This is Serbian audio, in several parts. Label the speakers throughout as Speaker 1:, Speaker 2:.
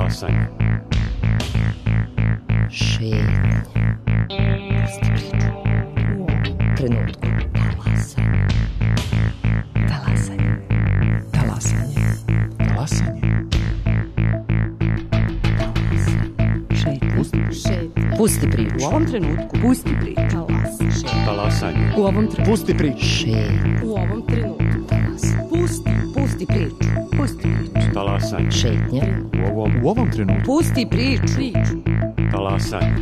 Speaker 1: Talasanje.
Speaker 2: Šetnja. Pusti priču. Trenutku. Talasanje. Talasanje.
Speaker 3: Talasanje.
Speaker 2: Šetnja. Pusti priču.
Speaker 4: U ovom trenutku.
Speaker 2: Pusti priču.
Speaker 1: Talasanje.
Speaker 4: U ovom trenutku.
Speaker 3: Pusti priču.
Speaker 2: Šetnja.
Speaker 4: U ovom trenutku. Pusti priču. Pusti priču.
Speaker 1: Talasanje.
Speaker 2: Šetnja.
Speaker 3: U ovom trenutku.
Speaker 4: Pusti priču.
Speaker 1: Talasanje.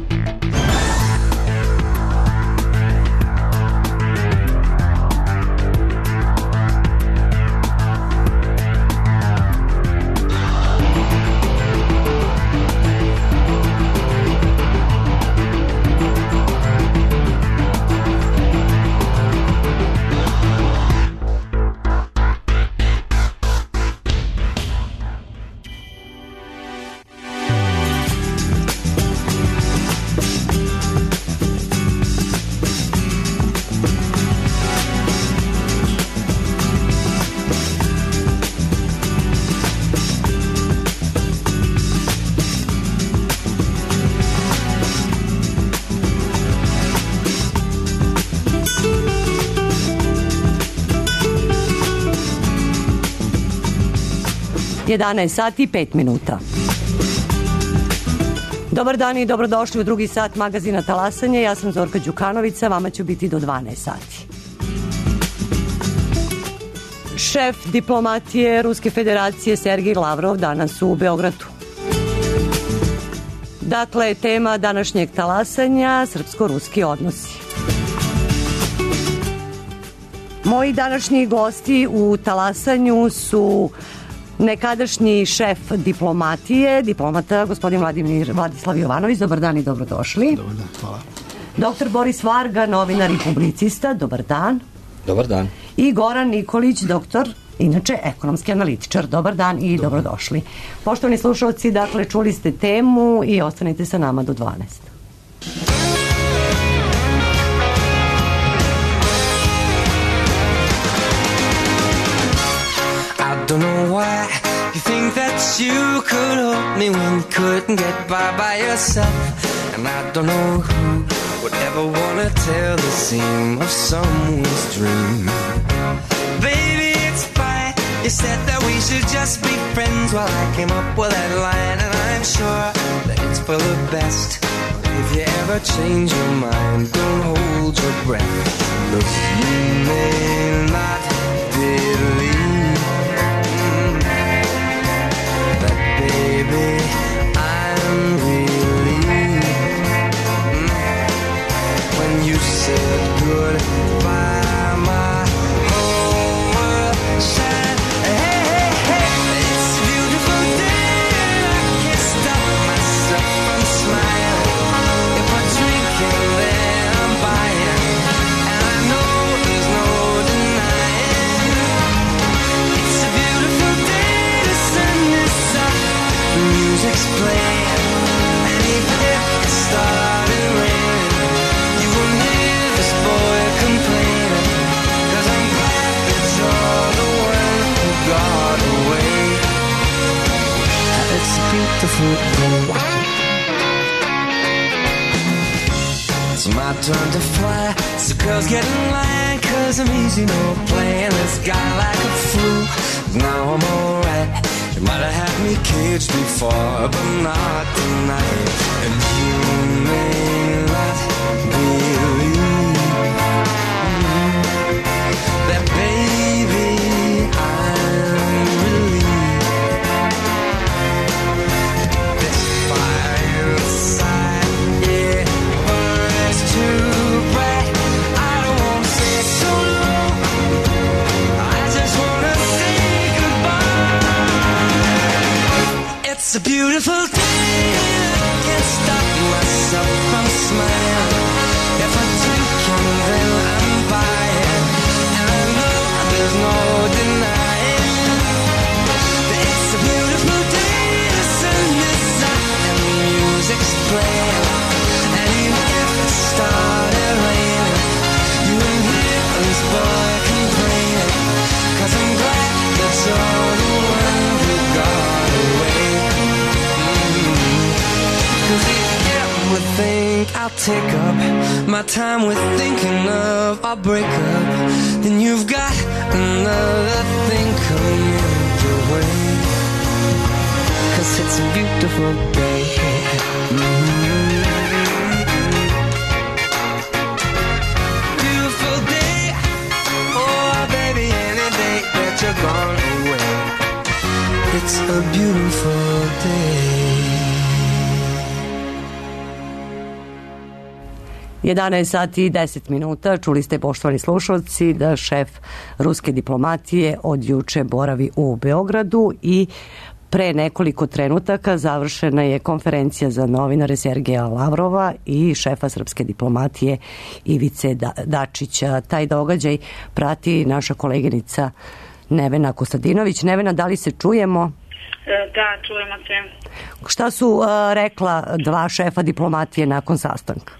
Speaker 4: Sati i 5 minuta. Dobar dan i dobrodošli u drugi sat magazina Talasanje. Ja sam Zorka Đukanovića, vama ću biti do 12 sati. Šef diplomatije Ruske federacije Sergej Lavrov danas u Beogradu. Dakle, tema današnjeg talasanja srpsko-ruski odnosi. Moji današnji gosti u talasanju su nekadašnji šef diplomatije, diplomata gospodin Vladislav Jovanović. Dobar dan i dobrodošli.
Speaker 3: Dobar dan, hvala.
Speaker 4: Doktor Boris Varga, novinar i publicista. Dobar dan.
Speaker 5: Dobar dan.
Speaker 4: I Goran Nikolić, doktor, inače ekonomski analitičar. Dobar dan i dobrodošli. Poštovani slušalci, dakle, čuli ste temu i ostanite sa nama do 12.
Speaker 6: I don't know why you think that you could hold me when you couldn't get by yourself. And I don't know who would ever want to tell the seam of someone's dream. Baby, it's fine. You said that we should just be friends. Well, I came up with that line, and I'm sure that it's for the best. If you ever change your mind, don't hold your breath. Look, you may not believe, baby, I'm relieved when you said goodbye. My whole world shined. Hey, hey, hey, it's a beautiful day and I can't stop myself from smiling. If I drink and then I'm buying, and I know there's no denying. It's a beautiful day to send this up. The music's playing, and even if it started raining, you won't hear this boy complaining. 'Cause I'm glad that you're the one who got away. It's a beautiful day. It's my turn to fly, so girls get in line, 'cause I'm easy, no playing this guy like a fool. Now I'm alright. You might have had me caged before, but not tonight. And you may not believe that, baby, I'm relieved. This fire inside, yeah, burns too bright. I don't want to say so long, I just want to say goodbye. It's a beautiful day, I can't stop myself from smiling. If I drink and then I'm buying, and I know there's no denying that it's a beautiful day to send this out, and the music's playing, and even if it started raining, you won't hear this boy complaining. 'Cause I'm glad that you're the one who got away. take up my time with thinking of our breakup, then you've got another thing coming your way. 'Cause it's a beautiful day. Beautiful day. Oh, baby, any day that you're gone away. It's a beautiful day.
Speaker 4: 11 sati i 10 minuta. Čuli ste, poštovani slušalci, da šef ruske diplomatije od juče boravi u Beogradu i pre nekoliko trenutaka završena je konferencija za novinare Sergeja Lavrova i šefa srpske diplomatije Ivice Dačića. Taj događaj prati naša koleginica Nevena Kostadinović. Nevena, da li se čujemo?
Speaker 5: Da, čujemo se.
Speaker 4: Šta su rekla dva šefa diplomatije nakon sastanka?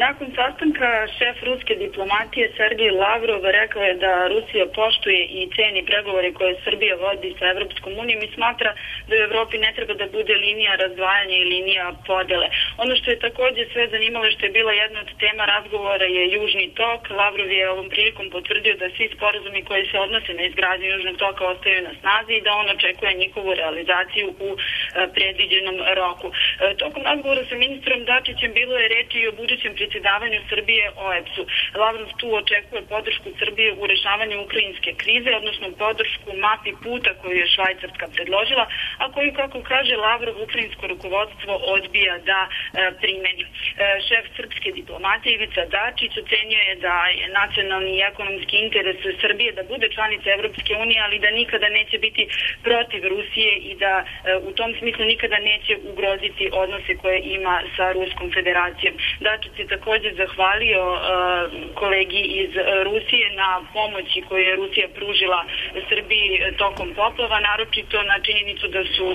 Speaker 5: Nakon sastanka šef ruske diplomatije Sergej Lavrov rekao je da Rusija poštuje i ceni pregovore koje Srbija vodi sa Evropskom unijom i smatra da u Evropi ne treba da bude linija razdvajanja i linija podele. Ono što je također sve zanimalo što je bila jedna od tema razgovora je Južni tok. Lavrov je ovom prilikom potvrdio da svi sporazumi koji se odnose na izgradnju Južnog toka ostaju na snazi i da on očekuje njihovu realizaciju u predviđenom roku. Tokom razgovora sa ministrom Dačićem bilo je reči i o budućem predsjedavanju Srbije OEBS-u. Lavrov tu očekuje podršku Srbije u rešavanju ukrajinske krize, odnosno podršku mapi puta koju je Švajcarska predložila, a koju, kako kaže Lavrov, ukrajinsko rukovodstvo odbija da primeni. Šef srpske diplomatije Ivica Dačić ocenio je da je nacionalni i ekonomski interes Srbije da bude članica Evropske unije, ali da nikada neće biti protiv Rusije i da u tom smislu nikada neće ugroziti odnose koje ima sa Ruskom federacijom. Dačić je također zahvalio kolegi iz Rusije na pomoći koju je Rusija pružila Srbiji tokom poplava, naročito na činjenicu da su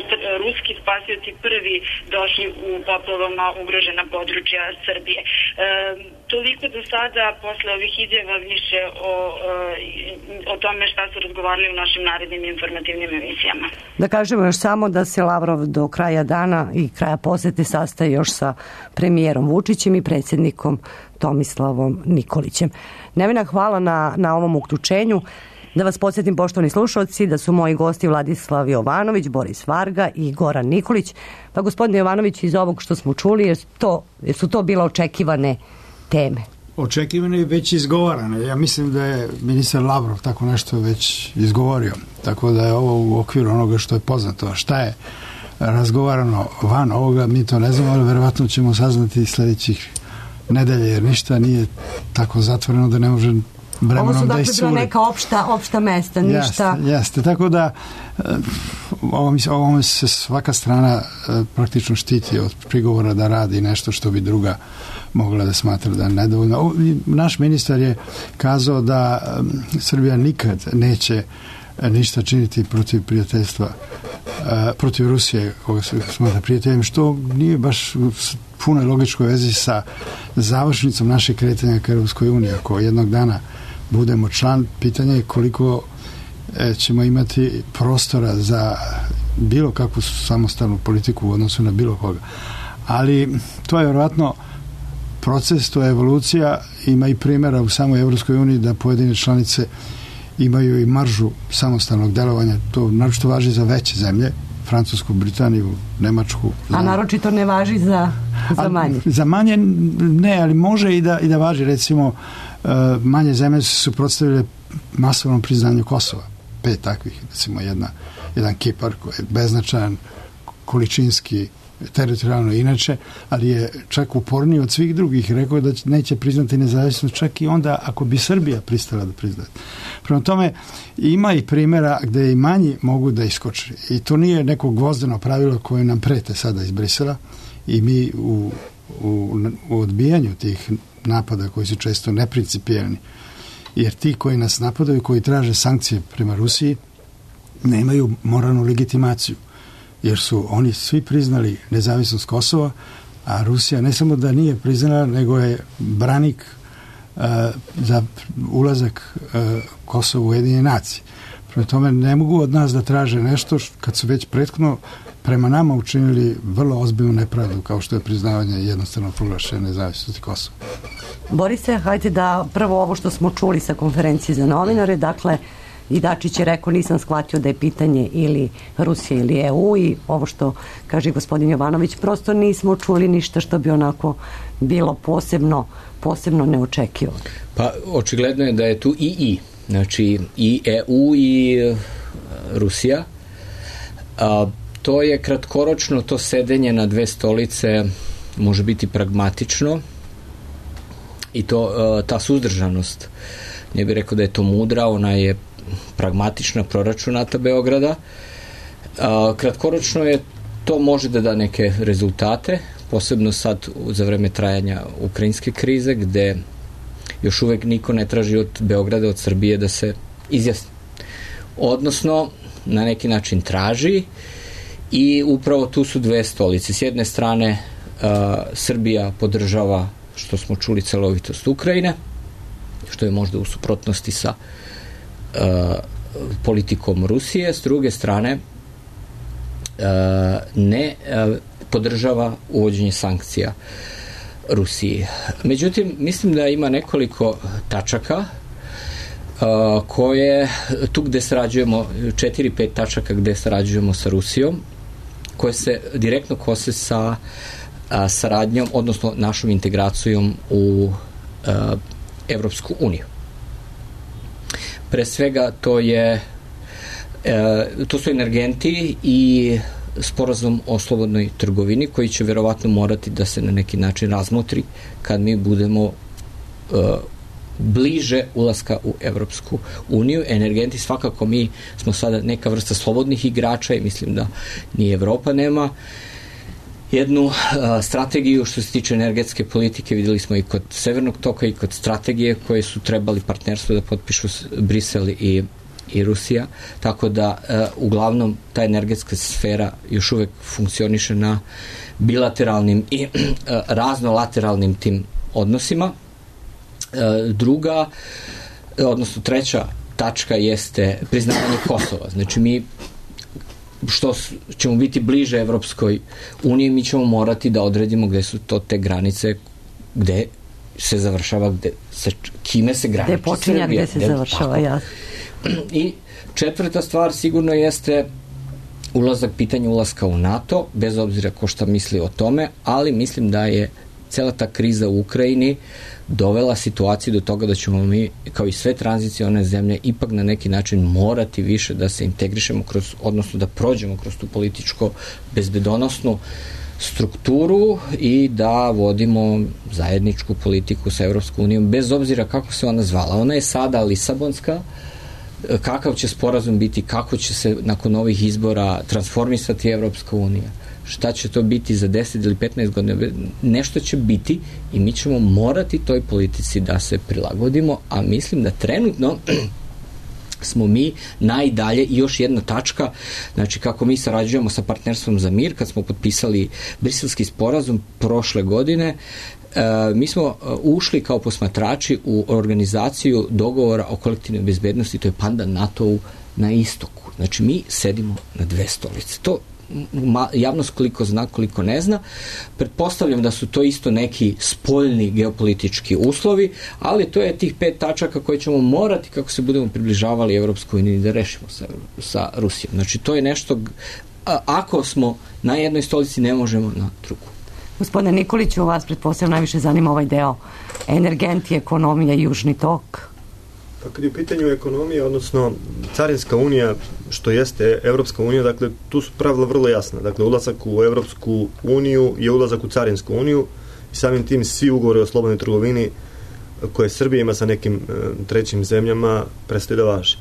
Speaker 5: ruski spasioci prvi došli u poplavama ugrožena područja Srbije. Toliko do sada, posle ovih izjava više o tome šta su razgovarali u našim narednim informativnim emisijama.
Speaker 4: Da kažemo još samo da se Lavrov do kraja dana i kraja posete sastaje još sa premijerom Vučićem i predsjednikom Tomislavom Nikolićem. Nevena, hvala na ovom uključenju. Da vas podsjetim, poštovani slušalci, da su moji gosti Vladislav Jovanović, Boris Varga i Goran Nikolić. Pa gospodine Jovanović, iz ovog što smo čuli, su to bile očekivane teme?
Speaker 7: Očekivane i već izgovarane. Ja mislim da je ministar Lavrov tako nešto već izgovorio. Tako da je ovo u okviru onoga što je poznato. Šta je razgovarano van ovoga, mi to ne znamo, ali verovatno ćemo saznati sljedećih nedelja, jer ništa nije tako zatvoreno da ne može vremenom da iscuri.
Speaker 4: Ovo su dakle bila neka opšta mesta, ništa...
Speaker 7: Jeste, tako da ovome se svaka strana praktično štiti od prigovora da radi nešto što bi druga mogla da smatra da je nedovoljno. Naš ministar je kazao da Srbija nikad neće ništa činiti protiv prijateljstva, protiv Rusije, koga se smatra prijateljem, što nije baš puno logičkoj vezi sa završnicom našeg kretanja ka Europskoj uniji. Ako jednog dana budemo član, pitanje je koliko ćemo imati prostora za bilo kakvu samostalnu politiku u odnosu na bilo koga. Ali to je vjerojatno proces, to je evolucija, ima i primjera u samoj Evropskoj uniji da pojedine članice imaju i maržu samostalnog delovanja. To naročito važi za veće zemlje, Francusku, Britaniju, Nemačku.
Speaker 4: A naročito ne važi za manje?
Speaker 7: Za manje ne, ali može i da važi. Recimo, manje zemlje su suprotstavile masovnom priznanju Kosova. 5 takvih, recimo jedan Kipar koji je beznačajan, količinski, teritorijalno inače, ali je čak uporniji od svih drugih. Rekao da neće priznati nezavisnost čak i onda ako bi Srbija pristala da priznaje. Prema tome, ima i primjera gde i manji mogu da iskoče. I to nije neko gvozdeno pravilo koje nam prete sada iz Brisela i mi u odbijanju tih napada koji su često neprincipijelni. Jer ti koji nas napadaju, koji traže sankcije prema Rusiji, nemaju moralnu legitimaciju. Jer su oni svi priznali nezavisnost Kosova, a Rusija ne samo da nije priznala, nego je branik za ulazak Kosova u Ujedinjene nacije. Prema tome ne mogu od nas da traže nešto kad su već prethodno prema nama učinili vrlo ozbiljnu nepravdu, kao što je priznavanje jednostavno proglašene nezavisnosti Kosova.
Speaker 4: Borise, hajde da prvo ovo što smo čuli sa konferencije za novinare, dakle, i Dačić je rekao, nisam shvatio da je pitanje ili Rusija ili EU, i ovo što kaže gospodin Jovanović, prosto nismo čuli ništa što bi onako bilo posebno neočekivano.
Speaker 8: Pa očigledno je da je tu znači i EU i Rusija. To je kratkoročno, to sedenje na dve stolice može biti pragmatično i ta suzdržanost, ne bih rekao da je to mudra, ona je pragmatična, proračunata Beograda. Kratkoročno je to može da da neke rezultate, posebno sad za vreme trajanja ukrajinske krize, gde još uvek niko ne traži od Beograda, od Srbije da se izjasni. Odnosno, na neki način traži, i upravo tu su dve stolice. S jedne strane, Srbija podržava, što smo čuli, celovitost Ukrajine, što je možda u suprotnosti sa politikom Rusije. S druge strane, ne podržava uvođenje sankcija Rusiji. Međutim, mislim da ima nekoliko tačaka koje tu gde sarađujemo, 4-5 tačaka gde sarađujemo sa Rusijom, koje se direktno kose sa saradnjom, odnosno našom integracijom u Evropsku uniju. Pre svega to su energenti i sporazum o slobodnoj trgovini, koji će verovatno morati da se na neki način razmotri kad mi budemo bliže ulaska u Evropsku uniju. Energenti, svakako mi smo sada neka vrsta slobodnih igrača i mislim da ni Evropa nema jednu strategiju što se tiče energetske politike. Videli smo i kod Severnog toka i kod strategije koje su trebali partnerstvo da potpišu Brisel i Rusija, tako da uglavnom ta energetska sfera još uvek funkcioniše na bilateralnim i raznolateralnim tim odnosima. Druga, odnosno treća tačka jeste priznavanje Kosova. Znači mi što ćemo biti bliže Evropskoj uniji, mi ćemo morati da odredimo gde su to te granice, gde se završava, kime se graniči Srbija.
Speaker 4: Gde počinja, gde se završava, jasno.
Speaker 8: I četvrta stvar sigurno jeste pitanje ulaska u NATO, bez obzira ko šta misli o tome, ali mislim da je cela ta kriza u Ukrajini dovela situaciju do toga da ćemo mi, kao i sve tranzicione zemlje, ipak na neki način morati više da se integrišemo odnosno da prođemo kroz tu političko bezbedonosnu strukturu i da vodimo zajedničku politiku sa Evropskom unijom, bez obzira kako se ona zvala. Ona je sada Lisabonska, kakav će sporazum biti, kako će se nakon ovih izbora transformisati Evropska unija, šta će to biti za 10 ili 15 godina, nešto će biti i mi ćemo morati toj politici da se prilagodimo, a mislim da trenutno smo mi najdalje. I još jedna tačka, znači kako mi sarađujemo sa Partnerstvom za mir, kad smo potpisali Briselski sporazum prošle godine, mi smo ušli kao posmatrači u organizaciju dogovora o kolektivnoj bezbednosti, to je pandan NATO-u na istoku. Znači mi sedimo na dve stolice. To javnost koliko zna, koliko ne zna. Pretpostavljam da su to isto neki spoljni geopolitički uslovi, ali to je tih 5 tačaka koje ćemo morati, kako se budemo približavali Evropskoj uniji, da rešimo sa Rusijom. Znači to je nešto, ako smo na jednoj stolici, ne možemo na drugu.
Speaker 4: Gospodine Nikoliću, vas pretpostavljam najviše zanima ovaj deo energenti, ekonomija i južni tok.
Speaker 9: Pa kad je u pitanju ekonomija, odnosno Carinska unija, što jeste Evropska unija, dakle tu su pravila vrlo jasna. Dakle, ulazak u Evropsku uniju je ulazak u Carinsku uniju i samim tim svi ugovori o slobodnoj trgovini koje Srbija ima sa nekim trećim zemljama prestaju da važe.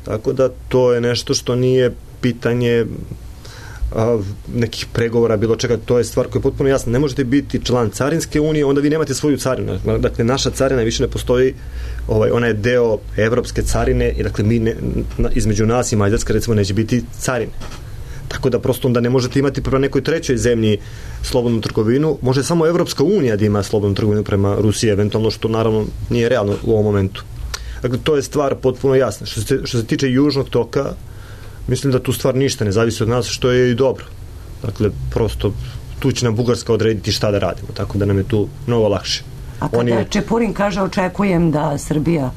Speaker 9: Tako da to je nešto što nije pitanje nekih pregovora, bilo čega, to je stvar koja je potpuno jasna. Ne možete biti član Carinske unije, onda vi nemate svoju carinu. Dakle, naša carina više ne postoji, ona je deo evropske carine i dakle između nas i Mađarska recimo neće biti carine. Tako da prosto onda ne možete imati prema nekoj trećoj zemlji slobodnu trgovinu, može samo Evropska unija da ima slobodnu trgovinu prema Rusiji, eventualno, što naravno nije realno u ovom momentu. Dakle, to je stvar potpuno jasna. Što se tiče južnog toka, mislim da tu stvar ništa ne zavisi od nas, što je i dobro. Dakle, prosto tu će nam Bugarska odrediti šta da radimo, tako da nam je tu mnogo lakše.
Speaker 4: A kada Čepurin kaže očekujem da Srbija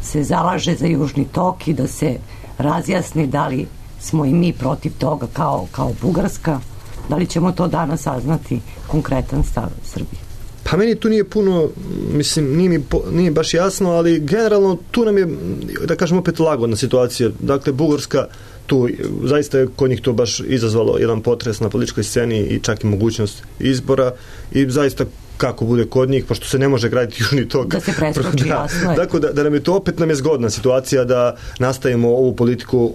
Speaker 4: se zalaže za Južni tok i da se razjasni da li smo i mi protiv toga kao Bugarska, da li ćemo to danas saznati konkretan stav Srbije?
Speaker 9: Pa meni tu nije puno, mislim, nije baš jasno, ali generalno tu nam je, da kažem, opet lagodna situacija. Dakle, Bugarska tu, zaista je kod njih to baš izazvalo jedan potres na političkoj sceni i čak i mogućnost izbora i zaista kako bude kod njih, pošto se ne može graditi Južni tok.
Speaker 4: Da se preskoči, jasno je.
Speaker 9: Tako da nam je to opet zgodna situacija da nastavimo ovu politiku,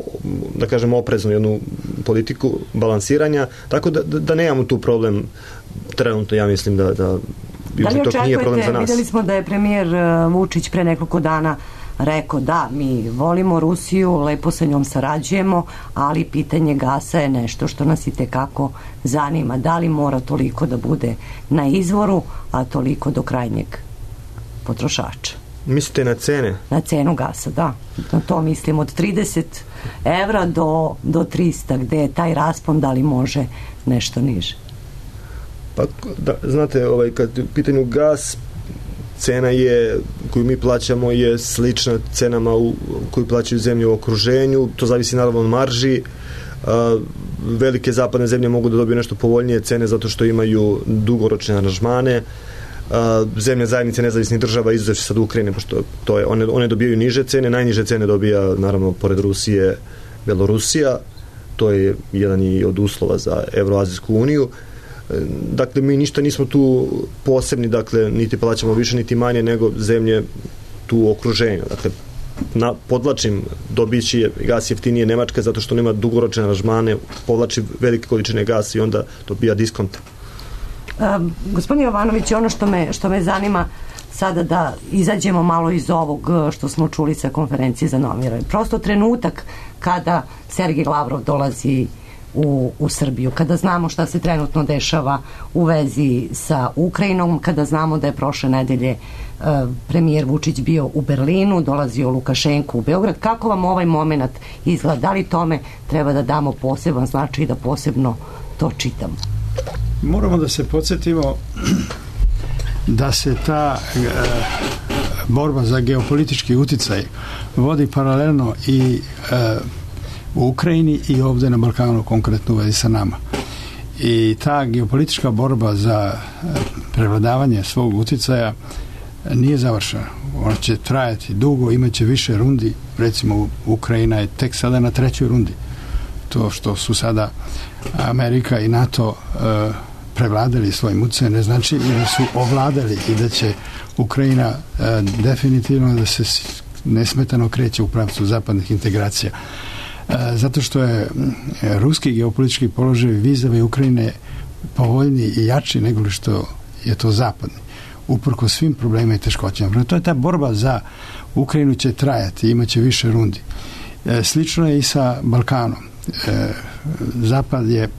Speaker 9: da kažem, opreznu jednu politiku balansiranja, tako da nemamo tu problem trenutno, ja mislim da Južni tok nije problem za nas.
Speaker 4: Vidjeli smo da je premijer Vučić pre nekoliko dana rekao da mi volimo Rusiju, lepo sa njom sarađujemo, ali pitanje gasa je nešto što nas i tekako zanima. Da li mora toliko da bude na izvoru, a toliko do krajnjeg potrošača?
Speaker 9: Mislite na cene? Na
Speaker 4: cenu gasa, da. Na to mislim od 30 evra do 300, gde je taj raspon, da li može nešto niže?
Speaker 9: Pa, znate, kad u pitanju gas, cena je, koju mi plaćamo, je slična cenama koju plaćaju zemlje u okruženju. To zavisi naravno od marži. Velike zapadne zemlje mogu da dobiju nešto povoljnije cene zato što imaju dugoročne aranžmane. Zemlje zajednice nezavisnih država, izuzev sad Ukrajine, pošto to je, one dobijaju niže cene. Najniže cene dobija, naravno, pored Rusije, Belorusija. To je jedan i od uslova za Evroazijsku uniju. Dakle, mi ništa nismo tu posebni, dakle, niti plaćamo više, niti manje nego zemlje tu u okruženju. Dakle, podlačim, dobići gas jeftinije Nemačka zato što nema dugoročne aranžmane, povlači velike količine gasa i onda dobija diskonta.
Speaker 4: Gospodin Jovanović, ono što me zanima sada da izađemo malo iz ovog što smo čuli sa konferencije za novinare. Prosto trenutak kada Sergej Lavrov dolazi u Srbiju, kada znamo šta se trenutno dešava u vezi sa Ukrajinom, kada znamo da je prošle nedelje premijer Vučić bio u Berlinu, dolazio Lukašenko u Beograd, kako vam ovaj moment izgleda? Da li tome treba da damo poseban značaj i da posebno to čitamo?
Speaker 7: Moramo da se podsjetimo da se ta borba za geopolitički uticaj vodi paralelno i u Ukrajini i ovdje na Balkanu, konkretno u vezi sa nama. I ta geopolitička borba za prevladavanje svog uticaja nije završena. Ona će trajati dugo, imaće više rundi. Recimo, Ukrajina je tek sada na 3. rundi. To što su sada Amerika i NATO prevladali svojim utjecajem ne znači i da su ovladali i da će Ukrajina definitivno da se nesmetano kreće u pravcu zapadnih integracija. Zato što je ruski geopolitički položaj vis-a-vis Ukrajine povoljniji i jači nego što je to zapadni, uprkos svim problemima i teškoćama. To je ta borba za Ukrajinu će trajati, imaće više rundi. Slično je i sa Balkanom. Zapad je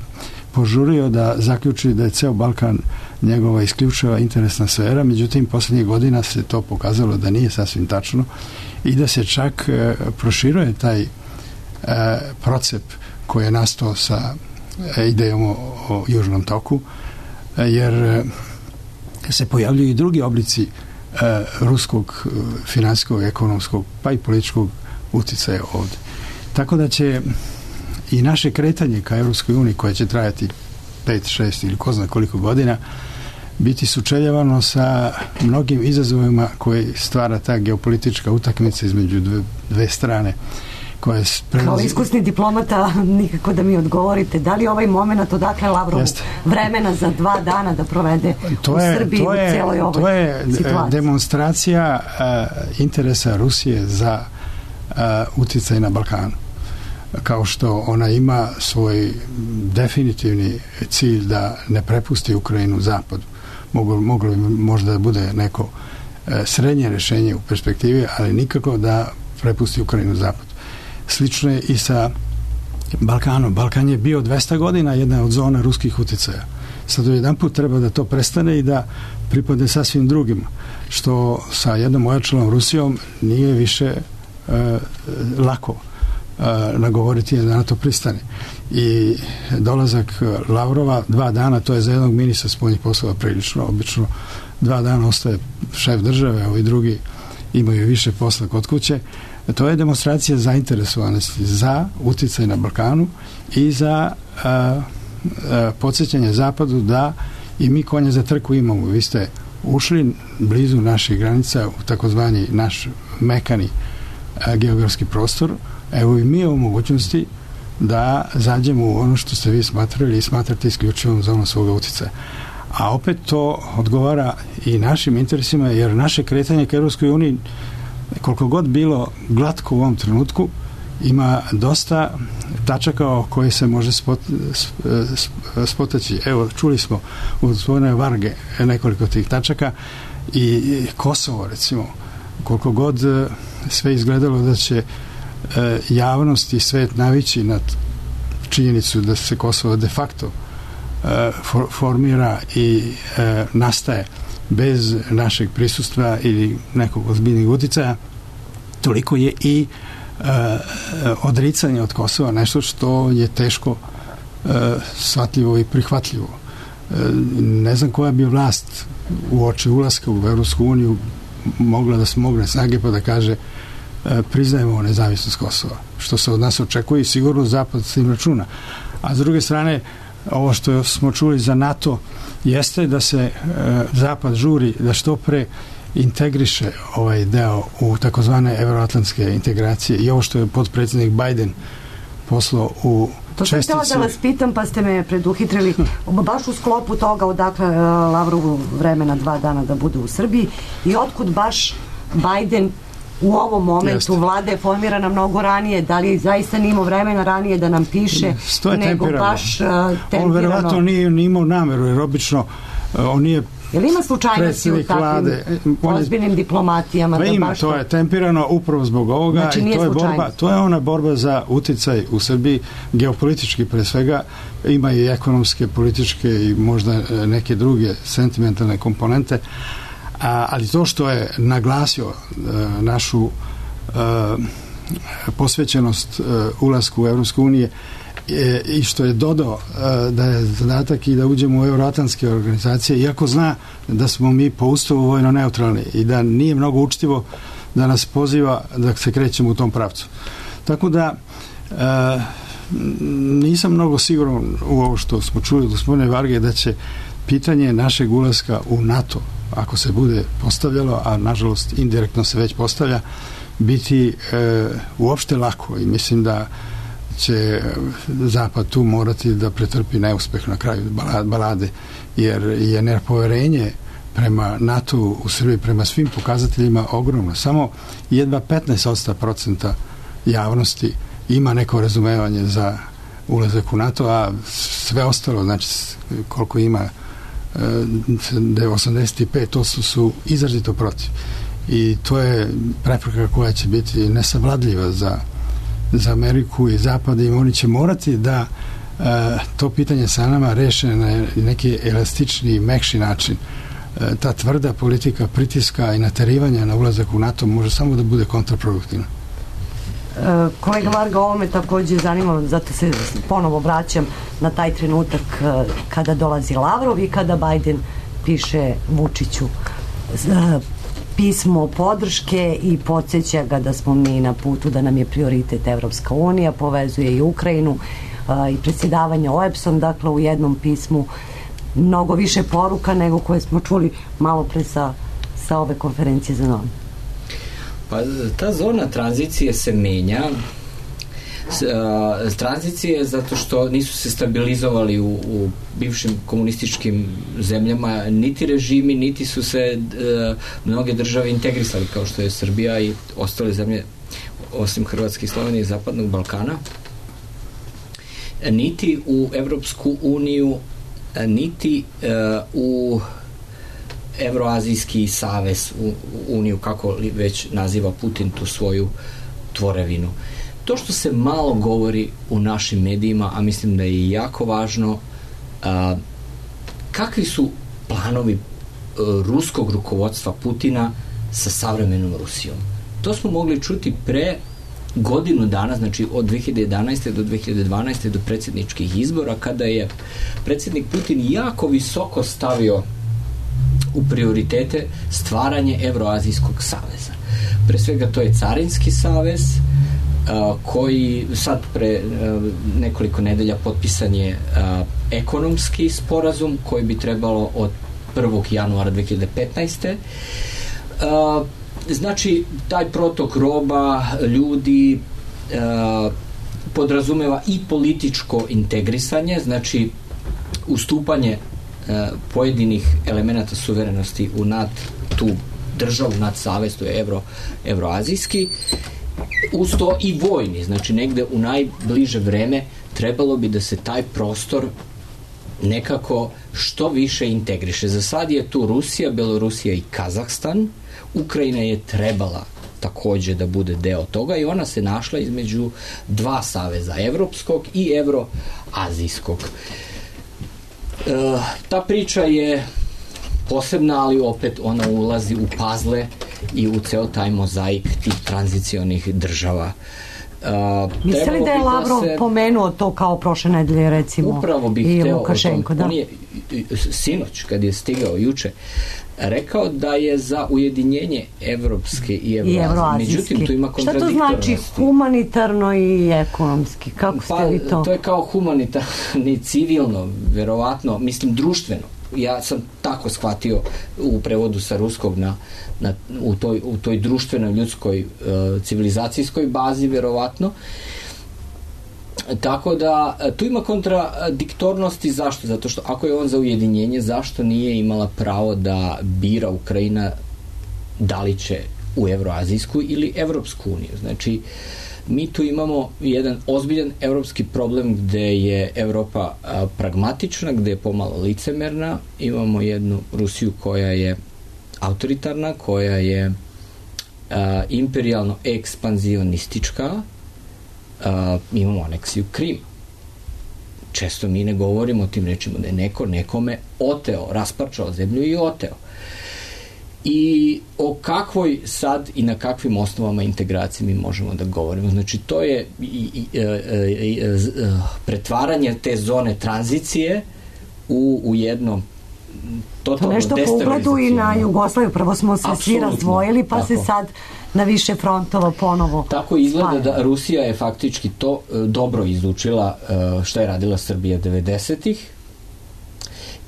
Speaker 7: požurio da zaključi da je ceo Balkan njegova isključiva interesna sfera, međutim posljednjih godina se to pokazalo da nije sasvim tačno i da se čak proširuje taj procep koji je nastao sa idejom o Južnom toku, jer se pojavljuju i drugi oblici ruskog finansijskog, ekonomskog pa i političkog uticaja ovdje. Tako da će i naše kretanje ka Europskoj uniji, koje će trajati 5, 6 ili ko zna koliko godina, biti sučeljavano sa mnogim izazovima koji stvara ta geopolitička utakmica između dve strane.
Speaker 4: Kao iskusni diplomata, nikako da mi odgovorite, da li ovaj moment odakle Lavrov vremena za 2 dana da provede u Srbiji u cijeloj ovoj situaciji? To je demonstracija interesa Rusije za uticaj na Balkanu. Kao što ona ima svoj definitivni cilj da ne prepusti Ukrajinu zapadu. Moglo bi možda da bude neko srednje rješenje u perspektivi, ali nikako da prepusti Ukrajinu zapadu. Slično je i sa Balkanom. Balkan je bio 200 godina jedna od zona ruskih uticaja. Sad jedan put treba da to prestane i da pripadne sasvim drugima. Što sa jednom ojačalom Rusijom nije više lako.
Speaker 7: nagovoriti da na to pristane. I dolazak Lavrova 2 dana, to je za jednog ministra spoljnih poslova prilično, obično 2 dana ostaje šef države, ovi drugi imaju više posla kod kuće. To je demonstracija zainteresovanosti za uticaj na Balkanu i za podsjećanje Zapadu da i mi konja za trku imamo. Vi ste ušli blizu naših granica u takozvani naš mekani geografski prostor. Evo i mi o mogućnosti da zađemo u ono što ste vi smatrali i smatrate isključivom zonom svoga uticaja. A opet to odgovara i našim interesima, jer naše kretanje ka Europskoj uniji, koliko god bilo glatko u ovom trenutku, ima dosta tačaka o koje se može spotaći. Evo, čuli smo u gospodine Varge nekoliko tih tačaka i Kosovo, recimo, koliko god sve izgledalo da će javnost i svet navići na činjenicu da se Kosovo de facto formira i nastaje bez našeg prisustva ili nekog ozbiljnih uticaja, toliko je i odricanje od Kosova nešto što je teško shvatljivo i prihvatljivo. Ne znam koja bi vlast u oči ulaska u Evropsku uniju mogla da smogne snage pa da kaže priznajemo nezavisnost Kosova, što se od nas očekuje i sigurno Zapad s tim računa. A s druge strane, ovo što smo čuli za NATO jeste da se Zapad žuri da što pre integriše ovaj deo u takozvane evroatlantske integracije i ovo što je potpredsjednik Biden poslao u čestici.
Speaker 4: To sam htjela da vas pitam, pa ste me preduhitrili baš u sklopu toga odakle Lavrovu vremena 2 dana da bude u Srbiji i otkud baš Biden u ovom momentu vlada je formirana mnogo ranije, da li zaista nije imao vremena ranije da nam piše, nego baš tempirano.
Speaker 7: On verovatno nije imao nameru, jer obično on nije
Speaker 4: jel ima slučajnosti u takvim ozbiljnim diplomatijama?
Speaker 7: Ima, to je tempirano upravo zbog ovoga, znači, i to je ona borba za uticaj u Srbiji, geopolitički pre svega, ima i ekonomske, političke i možda neke druge sentimentalne komponente, ali to što je naglasio našu posvećenost ulasku u Evropsku unije i što je dodao da je zadatak i da uđemo u euroatlantske organizacije, iako zna da smo mi po ustavu vojno neutralni i da nije mnogo učtivo da nas poziva da se krećemo u tom pravcu. Tako da nisam mnogo siguran u ovo što smo čuli od gospodine Varge da će pitanje našeg ulaska u NATO, ako se bude postavljalo, a nažalost indirektno se već postavlja, biti uopšte lako i mislim da će Zapad tu morati da pretrpi neuspeh na kraju balade, jer je nepoverenje prema NATO u Srbiji, prema svim pokazateljima ogromno. Samo jedva 15% javnosti ima neko razumevanje za ulazak u NATO, a sve ostalo, znači koliko ima 85% su izrazito protiv. I to je prepreka koja će biti nesavladljiva za Ameriku i Zapad i oni će morati da to pitanje sa nama reše na neki elastični, mekši način. Ta tvrda politika pritiska i naterivanja na ulazak u NATO može samo da bude kontraproduktivna.
Speaker 4: Kolega Varga, ovo me takođe zanima, zato se ponovo vraćam na taj trenutak kada dolazi Lavrov i kada Biden piše Vučiću pismo podrške i podsjeća ga da smo mi na putu, da nam je prioritet Evropska unija, povezuje i Ukrajinu i predsjedavanje OEBS-om, dakle u jednom pismu mnogo više poruka nego koje smo čuli malo pre sa ove konferencije za novinare.
Speaker 8: Pa ta zona tranzicije se menja. Tranzicije zato što nisu se stabilizovali u bivšim komunističkim zemljama niti režimi, niti su se mnoge države integrisali kao što je Srbija i ostale zemlje osim Hrvatske i Slovenije i Zapadnog Balkana, niti u Evropsku uniju, niti u Evroazijski savez, u uniju, kako li već naziva Putin tu svoju tvorevinu. To što se malo govori u našim medijima, a mislim da je jako važno, kakvi su planovi ruskog rukovodstva Putina sa savremenom Rusijom. To smo mogli čuti pre godinu dana, znači od 2011. do 2012. do predsjedničkih izbora, kada je predsjednik Putin jako visoko stavio u prioritete stvaranje Evroazijskog saveza. Pre svega to je Carinski savez, koji sad pre nekoliko nedelja potpisan je ekonomski sporazum koji bi trebalo od 1. januara 2015. Znači, taj protok roba, ljudi, podrazumeva i političko integrisanje, znači ustupanje pojedinih elemenata suverenosti u nad tu državu, nad savez, to je evroazijski, uz to i vojni, znači negde u najbliže vreme trebalo bi da se taj prostor nekako što više integriše. Za sad je tu Rusija, Belorusija i Kazahstan. Ukrajina je trebala takođe da bude deo toga i ona se našla između dva saveza, evropskog i evroazijskog. Ta priča je posebna, ali opet ona ulazi u pazle i u ceo taj mozaik tih tranzicionih država.
Speaker 4: Misli li da je Lavrov pomenuo to kao prošle nedelje, recimo,
Speaker 8: upravo bih
Speaker 4: i
Speaker 8: hteo
Speaker 4: Lukašenko?
Speaker 8: Da. On je sinoć, kad je stigao juče, rekao da je za ujedinjenje evropske i evroazijske. Međutim, tu ima kontradiktornosti.
Speaker 4: Šta to znači humanitarno i ekonomski? Kako ste vi to?
Speaker 8: To je kao humanitarno, civilno, verovatno, mislim društveno. Ja sam tako shvatio u prevodu sa ruskog u toj društvenoj, ljudskoj, civilizacijskoj bazi, verovatno. Tako da tu ima kontradiktornosti. Zašto? Zato što ako je on za ujedinjenje, zašto nije imala pravo da bira Ukrajina da li će u Evroazijsku ili Evropsku uniju? Znači, mi tu imamo jedan ozbiljan evropski problem gde je Evropa pragmatična, gde je pomalo licemerna. Imamo jednu Rusiju koja je autoritarna, koja je imperijalno ekspanzionistička. Imamo aneksiju Krima. Često mi ne govorimo o tim rečima da je neko nekome oteo, rasparčao zemlju i oteo. I o kakvoj sad i na kakvim osnovama integracije mi možemo da govorimo. Znači, to je pretvaranje te zone tranzicije u jedno totalno destabilizacijno.
Speaker 4: To nešto po ugledu i na Jugoslaviju. Prvo smo se svi razdvojili, pa tako se sad na više frontova ponovo
Speaker 8: tako izgleda da Rusija je faktički to dobro izučila što je radila Srbija 90-ih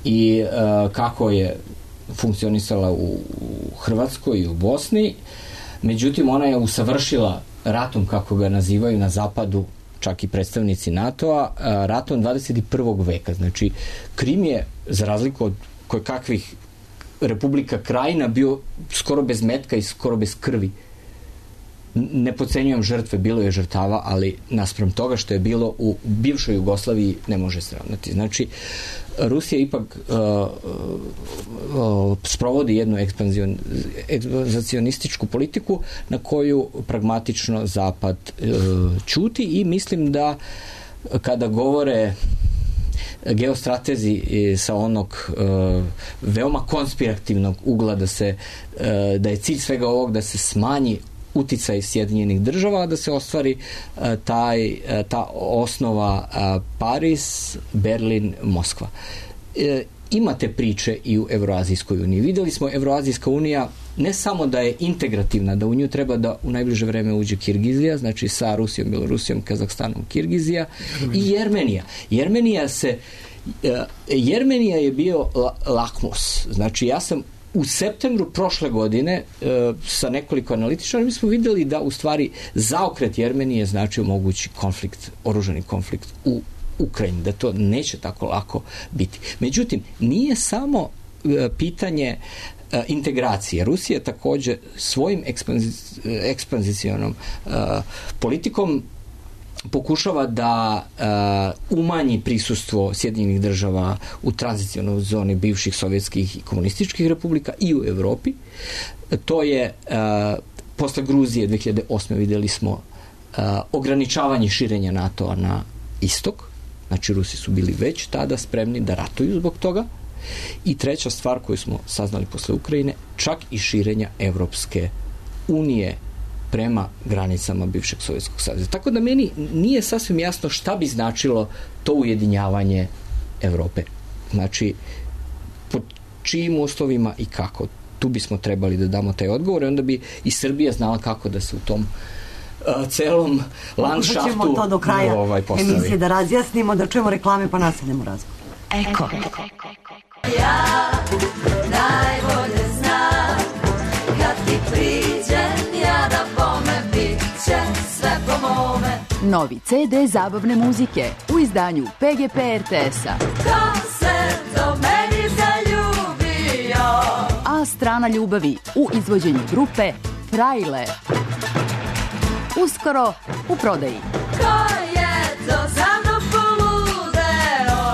Speaker 8: i kako je funkcionisala u Hrvatskoj i u Bosni. Međutim, ona je usavršila ratom, kako ga nazivaju na zapadu, čak i predstavnici NATO-a, ratom 21. veka. Znači, Krim je, za razliku od kakvih Republika Krajina, bio skoro bez metka i skoro bez krvi. Ne podcenjujem žrtve, bilo je žrtava, ali naspram toga što je bilo u bivšoj Jugoslaviji ne može se ravnati. Znači, Rusija ipak sprovodi jednu ekspanzionističku politiku na koju pragmatično Zapad ćuti i mislim da kada govore geostratezi sa onog veoma konspirativnog ugla da je cilj svega ovog da se smanji uticaj Sjedinjenih država, da se ostvari ta osnova Pariz, Berlin, Moskva. Imate priče i u Evroazijskoj uniji. Videli smo Evroazijska unija ne samo da je integrativna, da u nju treba da u najbliže vreme uđe Kirgizija, znači sa Rusijom, Belorusijom, Kazahstanom, Kirgizija i Jermenija. Jermenija je bio lakmus. Znači, ja sam u septembru prošle godine sa nekoliko analitičara mi smo videli da u stvari zaokret Jermenije znači mogući konflikt, oružani konflikt u Ukrajini, da to neće tako lako biti. Međutim, nije samo pitanje integracije. Rusija takođe svojim ekspanzicionom politikom pokušava da umanji prisustvo Sjedinjenih država u tranzicionoj zoni bivših sovjetskih i komunističkih republika i u Evropi. To je posle Gruzije 2008. videli smo ograničavanje širenja NATO-a na istok. Znači, Rusi su bili već tada spremni da ratuju zbog toga. I treća stvar koju smo saznali posle Ukrajine, čak i širenja Evropske unije prema granicama bivšeg Sovjetskog saveza. Tako da meni nije sasvim jasno šta bi značilo to ujedinjavanje Evrope. Znači, pod čijim uslovima i kako. Tu bismo trebali da damo taj odgovor i onda bi i Srbija znala kako da se u tom celom landšaftu
Speaker 4: ćemo to do kraja
Speaker 8: postavi.
Speaker 4: emisije da razjasnimo, da čujemo reklame pa nastavljamo razgovor.
Speaker 2: Eko.
Speaker 10: Ja najbolje znam kad ti priđem ja da bome bit će sve po mome.
Speaker 11: Novi CD zabavne muzike u izdanju PGP RTS-a.
Speaker 10: Ko se do meni zaljubio?
Speaker 11: A strana ljubavi u izvođenju grupe Frajle. Uskoro u prodaji.
Speaker 10: Ko je to za mnom poludeo?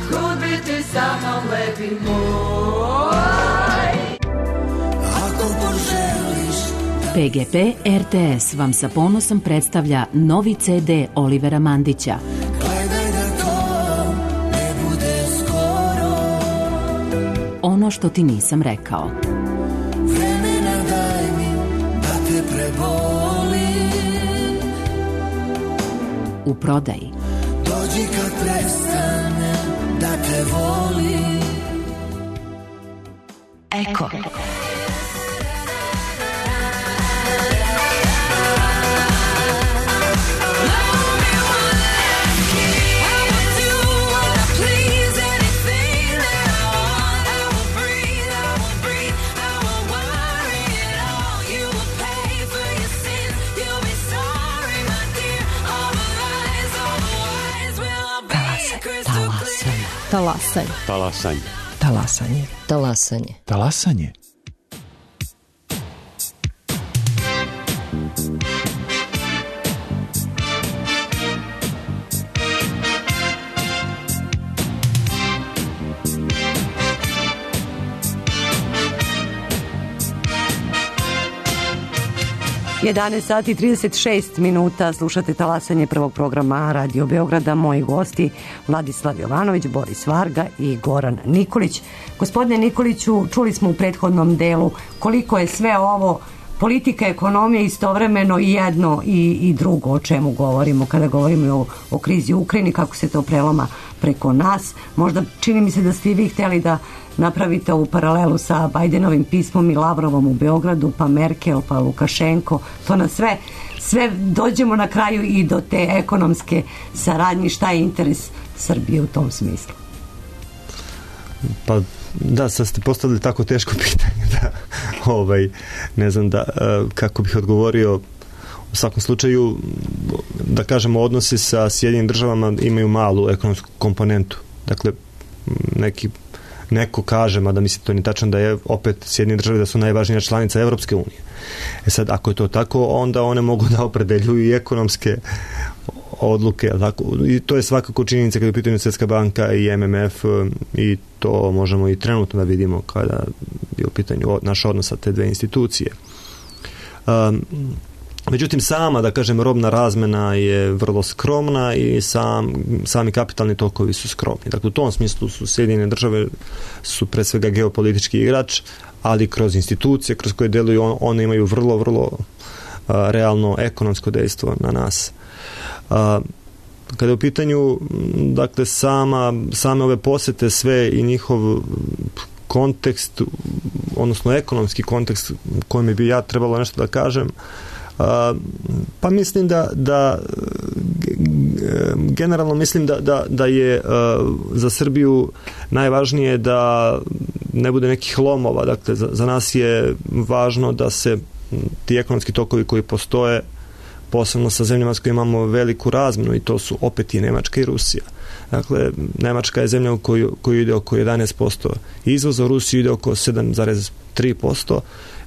Speaker 10: Kud bi ti sa mnom lepi moj? Ako poželiš
Speaker 11: PGP RTS vam sa ponosom predstavlja novi CD Olivera Mandića.
Speaker 10: gledaj da to ne bude skoro.
Speaker 11: Ono što ti nisam rekao.
Speaker 10: Vremena daj mi da te prebolim.
Speaker 11: U prodaji.
Speaker 10: Dođi kad prestane da te volim.
Speaker 2: Eko. Talasanje.
Speaker 1: Talasanje.
Speaker 2: Talasanje. Talasanje.
Speaker 3: Talasanje.
Speaker 4: Sati 36 minuta, slušate Talasanje prvog programa Radio Beograda. Moji gosti Vladislav Jovanović, Boris Varga i Goran Nikolić. Gospodine Nikoliću, čuli smo u prethodnom delu koliko je sve ovo politika, ekonomija istovremeno i jedno i drugo o čemu govorimo kada govorimo o krizi u Ukrajini, kako se to preloma preko nas. Možda čini mi se da ste i vi hteli da napravite ovu paralelu sa Bajdenovim pismom i Lavrovom u Beogradu, pa Merkel, pa Lukašenko. To na sve dođemo na kraju i do te ekonomske saradnje. Šta je interes Srbije u tom smislu?
Speaker 9: Pa da, sad ste postavili tako teško pitanje da ne znam kako bih odgovorio. U svakom slučaju, da kažemo, odnosi sa Sjedinjenim državama imaju malu ekonomsku komponentu. Dakle, neko kaže, mada mislim to nije tačno, da je opet Sjedinjene države da su najvažnija članica Evropske unije. Sad, ako je to tako, onda one mogu da opredeljuju i ekonomske odluke, tako? I to je svakako činjenica kada je u pitanju Svjetska banka i MMF i to možemo i trenutno da vidimo kada je u pitanju naš odnos sa te dve institucije. Međutim, sama, da kažem, robna razmena je vrlo skromna i sami kapitalni tokovi su skromni. Dakle, u tom smislu su Sjedinjene države su pre svega geopolitički igrač, ali kroz institucije kroz koje deluju one imaju vrlo, vrlo realno ekonomsko dejstvo na nas. Kada je u pitanju, dakle, same ove posete sve i njihov kontekst, odnosno ekonomski kontekst kojem bi ja trebalo nešto da kažem, pa mislim da generalno mislim da je za Srbiju najvažnije da ne bude nekih lomova. Dakle, za nas je važno da se ti ekonomski tokovi koji postoje, posebno sa zemljama s kojima imamo veliku razmenu, i to su opet i Nemačka i Rusija. Dakle, Nemačka je zemlja u koju ide oko 11% izvoza, u Rusiju ide oko 7,3%,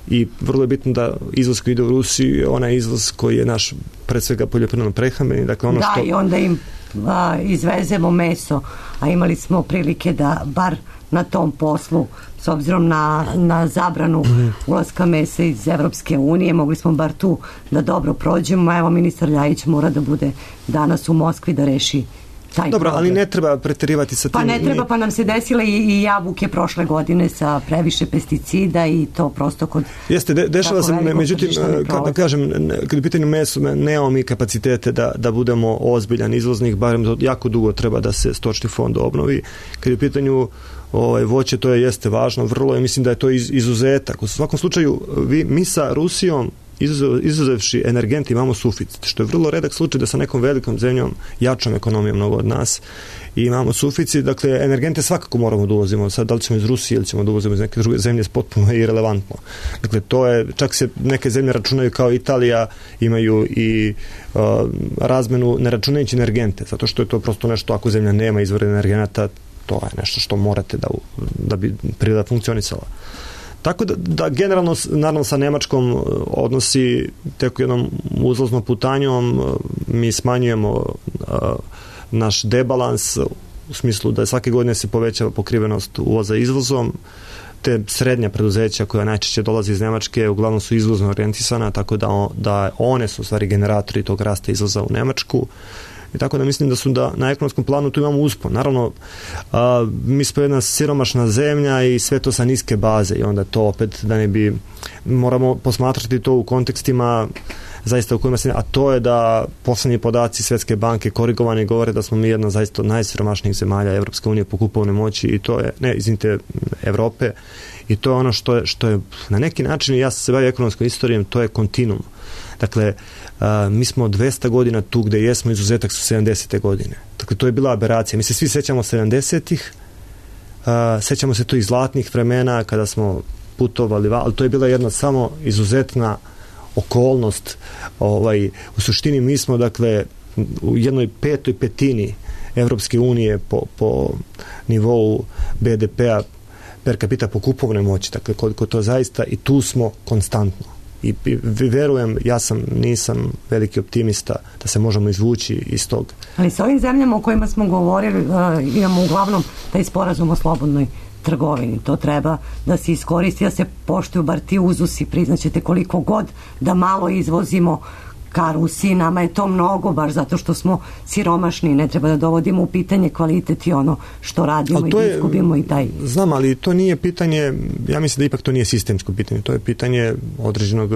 Speaker 9: i vrlo je bitno da izvoz koji ide u Rusiju je onaj izvoz koji je naš, pred svega, poljoprivredno prehrambeni. Dakle, ono što...
Speaker 4: i onda im izvezemo meso, a imali smo prilike da bar na tom poslu, s obzirom na zabranu ulaska mesa iz Evropske unije, mogli smo bar tu da dobro prođemo. Evo, ministar Ljajić mora da bude danas u Moskvi da reši taj
Speaker 9: Dobro,
Speaker 4: problem.
Speaker 9: ali ne treba preterivati sa tim.
Speaker 4: Pa ne treba, pa nam se desile i jabuke prošle godine sa previše pesticida i to prosto kod...
Speaker 9: Jeste, dešava se, međutim,
Speaker 4: kad
Speaker 9: kažem, kad je pitanje meso, nemamo mi kapacitete da budemo ozbiljan izvoznik, barem jako dugo treba da se stočni fond obnovi. Kad je u pitanju voće, to jeste važno, vrlo je, mislim da je to izuzetak. U svakom slučaju, mi sa Rusijom, izuzevši energenti, imamo suficit, što je vrlo redak slučaj da sa nekom velikom zemljom, jačom ekonomijom mnogo od nas, i imamo suficit. Dakle, energente svakako moramo da uvozimo. Sad, da li ćemo iz Rusije ili ćemo da uvozimo iz neke druge zemlje, je potpuno irelevantno. Dakle, to je, čak se neke zemlje računaju kao Italija, imaju i razmenu ne računajući energente, zato što je to prosto nešto, ako zemlja nema izvore energenata, to je nešto što morate da bi priroda funkcionisala. Tako da generalno, naravno sa Nemačkom odnosi tek jednom uzlaznom putanjom, mi smanjujemo naš debalans u smislu da svake godine se povećava pokrivenost uvoza izvozom. Te srednja preduzeća koja najčešće dolazi iz Nemačke uglavnom su izvozno orijentisana, tako da one su u stvari generatori tog rasta izvoza u Nemačku. I tako da mislim da na ekonomskom planu tu imamo uspon. Naravno, mi smo jedna siromašna zemlja i sve to sa niske baze i onda to opet da ne bi, moramo posmatrati to u kontekstima zaista u kojima se, a to je da poslednji podaci Svetske banke korigovani govore da smo mi jedna zaista od najsiromašnijih zemalja Evropske unije po kupovnoj moći i to je, Evrope, i to je ono što je na neki način, ja sam se bavio ekonomskom istorijom, to je kontinuum. Dakle, mi smo 200 godina tu gde jesmo, izuzetak su 70. godine. Dakle, to je bila aberacija. Mi se svi sećamo 70-ih, sećamo se to iz zlatnih vremena kada smo putovali, ali to je bila jedna samo izuzetna okolnost. U suštini mi smo, dakle, u jednoj petoj petini Evropske unije po nivou BDP-a per capita po kupovnoj moći. Dakle, koliko to zaista, i tu smo konstantno. I verujem, nisam veliki optimista da se možemo izvući iz tog.
Speaker 4: Ali sa ovim zemljama o kojima smo govorili, imamo uglavnom taj sporazum o slobodnoj trgovini. To treba da se iskoristi, da se poštuju bar ti uzusi. Priznaćete koliko god da malo izvozimo ka Rusiji, nama je to mnogo, baš zato što smo siromašni, ne treba da dovodimo u pitanje kvalitet i ono što radimo i da izgubimo i taj...
Speaker 9: Znam, ali to nije pitanje, ja mislim da ipak to nije sistemsko pitanje, to je pitanje određenog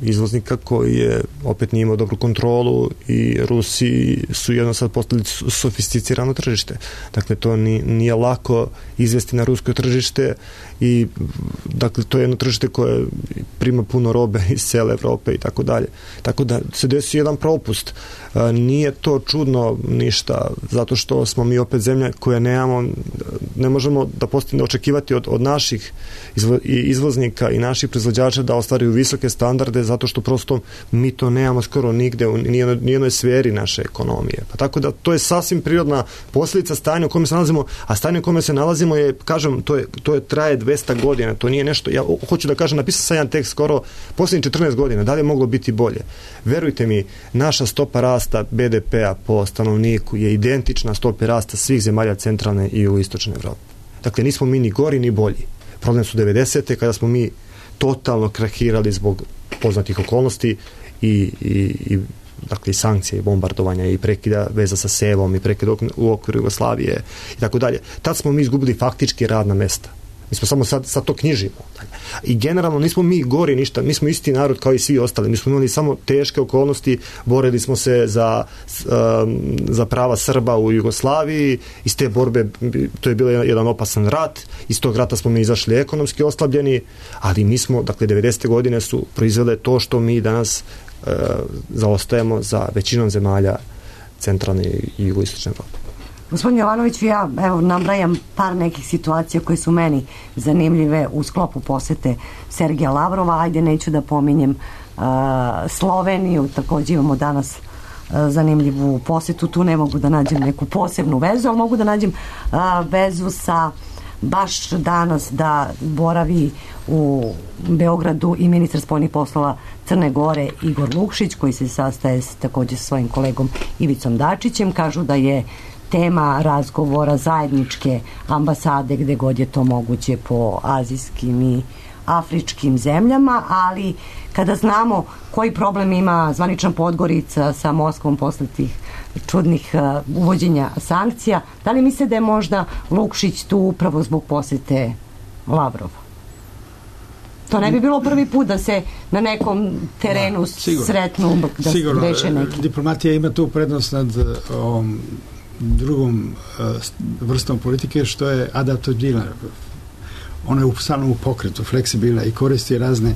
Speaker 9: izvoznika koji je opet nije imao dobru kontrolu i Rusi su jedno sad postali sofisticirano tržište. Dakle, to nije lako izvesti na rusko tržište i dakle, to je jedno tržište koje prima puno robe iz cele Evrope i tako dalje. Tako da se desi jedan propust. Nije to čudno ništa, zato što smo mi opet zemlja koja ne možemo da postigne očekivati od naših izvoznika i naših proizvođača da ostvaruju visoke standarde, zato što prosto mi to nemamo skoro nigde u nijednoj sferi naše ekonomije. Pa tako da to je sasvim prirodna posljedica stanja u kome se nalazimo, a stanje u kome se nalazimo je, kažem, to je traje 200 godina, to nije nešto, ja hoću da kažem, napisao sam jedan tekst skoro posljednjih 14 godina, da li je moglo biti bolje? Verujte mi, naša stopa rasta BDP-a po stanovniku je identična stopi rasta svih zemalja centralne i jugoistočne Evrope. Dakle, nismo mi ni gori ni bolji. Problem su 90. kada smo mi totalno krahirali zbog poznatih okolnosti i dakle i sankcije i bombardovanja i prekida veza sa Sevom i prekida u okviru Jugoslavije i tako dalje. Tad smo mi izgubili faktički radna mesta. Mi smo samo sad to knjižimo. I generalno nismo mi gori ništa, mi smo isti narod kao i svi ostali. Mi smo imali samo teške okolnosti, borili smo se za prava Srba u Jugoslaviji, iz te borbe, to je bio jedan opasan rat, iz tog rata smo mi izašli ekonomski oslabljeni, ali mi smo, dakle, 90. godine su proizvele to što mi danas zaostajemo za većinom zemalja centralne i jugoistočne Evrope.
Speaker 4: Gospodin Jovanović, ja nabrajam par nekih situacija koje su meni zanimljive u sklopu posete Sergeja Lavrova. Ajde, neću da pominjem Sloveniju, takođe imamo danas zanimljivu posetu, tu ne mogu da nađem neku posebnu vezu, ali mogu da nađem vezu sa baš danas da boravi u Beogradu i ministar spoljnih poslova Crne Gore Igor Lukšić, koji se sastaje takođe sa svojim kolegom Ivicom Dačićem. Kažu da je tema razgovora zajedničke ambasade gde god je to moguće po azijskim i afričkim zemljama, ali kada znamo koji problem ima zvanična Podgorica sa Moskvom posle tih čudnih uvođenja sankcija, da li misle da je možda Lukšić tu upravo zbog posete Lavrova? To ne bi bilo prvi put da se na nekom terenu sretnu, da se reše neki.
Speaker 7: Diplomatija ima tu prednost nad ovom drugom vrstom politike, što je adaptabilna. Ona je stalno u pokretu, fleksibilna i koristi razne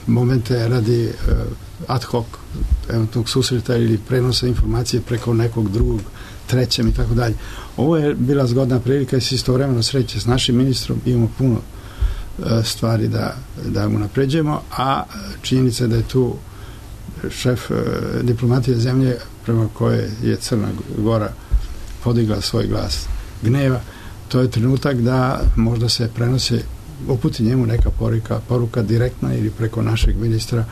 Speaker 7: momente radi ad hoc eventualnog susreta ili prenosa informacije preko nekog drugog, trećem i tako dalje. Ovo je bila zgodna prilika i se istovremeno sreće s našim ministrom, imamo puno stvari da mu napređujemo, a činjenica da je tu šef diplomatije zemlje prema koje je Crna Gora podigla svoj glas gneva, to je trenutak da možda se prenose, uputi njemu neka poruka direktna ili preko našeg ministra,